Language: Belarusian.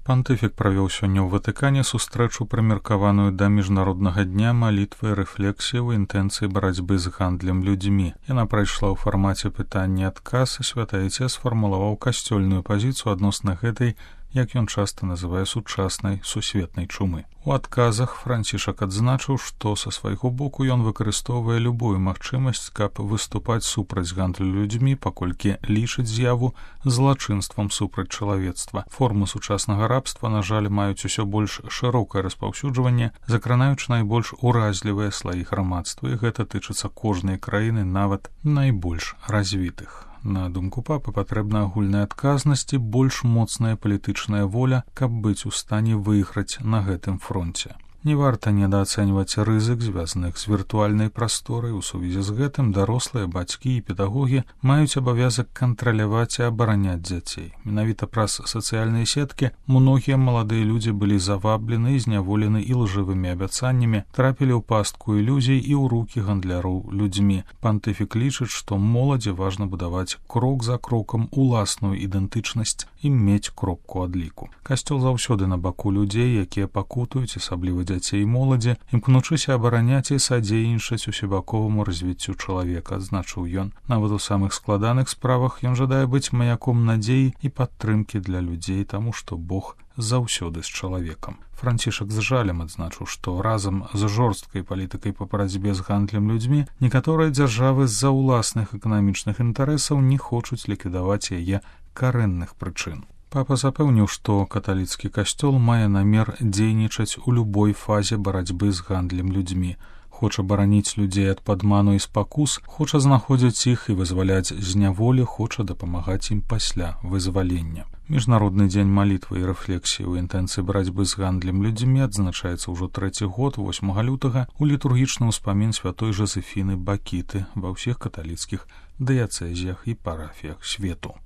Пантыфік правёў сёння ў Ватыкане сустрэчу, прымеркаваную да міжнароднага дня малітвы і рэфлексіі ў інтэнцыі барацьбы з гандлем людзьмі. Яна прайшла ў фармаце пытання-адказ, і святы Айцец сфармулаваў касцёльную пазіцыю адносна гэтай, як ён часта называе, сучаснай сусветнай чумы. У адказах Францішак адзначыў, што са свайго боку ён выкарыстоўвае любую магчымасць, каб выступаць супраць гандлю людзьмі, паколькі лічыць з'яву злачынствам супраць чалавецтва. Формы сучаснага рабства, на жаль, маюць усё больш шырокае распаўсюджванне, закранаючы найбольш уразлівыя слаі грамадства, і гэта тычыцца кожнай краіны, нават найбольш развітых. На думку папы, патрэбна агульная адказнасць і больш моцная палітычная воля, каб быць у стане выйграць на гэтым фронце. Не варта недаацэньваць рызык, звязаных з віртуальнай прасторай. У сувязі з гэтым дарослыя, бацькі і педагогі маюць абавязак кантраляваць і абараняць дзяцей. Менавіта праз сацыяльныя сеткі многія маладыя людзі былі заваблены і зняволены ілжывымі абяцаннямі, трапілі ў пастку ілюзій і ў рукі гандляроў людзьмі. Пантыфік лічыць, што моладзі важна будаваць крок за крокам уласную ідэнтычнасць і мець кропку адліку. Касцёл заўсёды на баку людзей, якія пакутуюць, асабліва дзяцей і моладзі, імкнучыся абараняць і садзейнічаць усебаковаму развіццю чалавека, адзначыў ён. Нават у самых складаных справах ён жадае быць маяком надзеі і падтрымкі для людзей, таму што Бог заўсёды з чалавекам. Францішак з жалем адзначыў, што разам з жорсткай палітыкай па барацьбе з гандлем людзьмі некаторыя дзяржавы з-за ўласных эканамічных інтарэсаў не хочуць ліквідаваць яе карэнных прычын. Папа запэўніў, што каталіцкі касцёл мае намер дзейнічаць у любой фазе барацьбы з гандлем людзьмі. Хоча бараніць людзей ад падману і спакус, хоча знаходзіць іх і вызваляць з няволі, хоча дапамагаць ім пасля вызвалення. Міжнародны дзень малітвы і рэфлексіі ў інтэнцыі барацьбы з гандлем людзьмі адзначаецца ўжо 3-й год, 8 лютага, у літургічны ўспамін святой Жозефіны Бакіты ва ўсіх каталіцкіх дыяцэзіях і парафіях свету.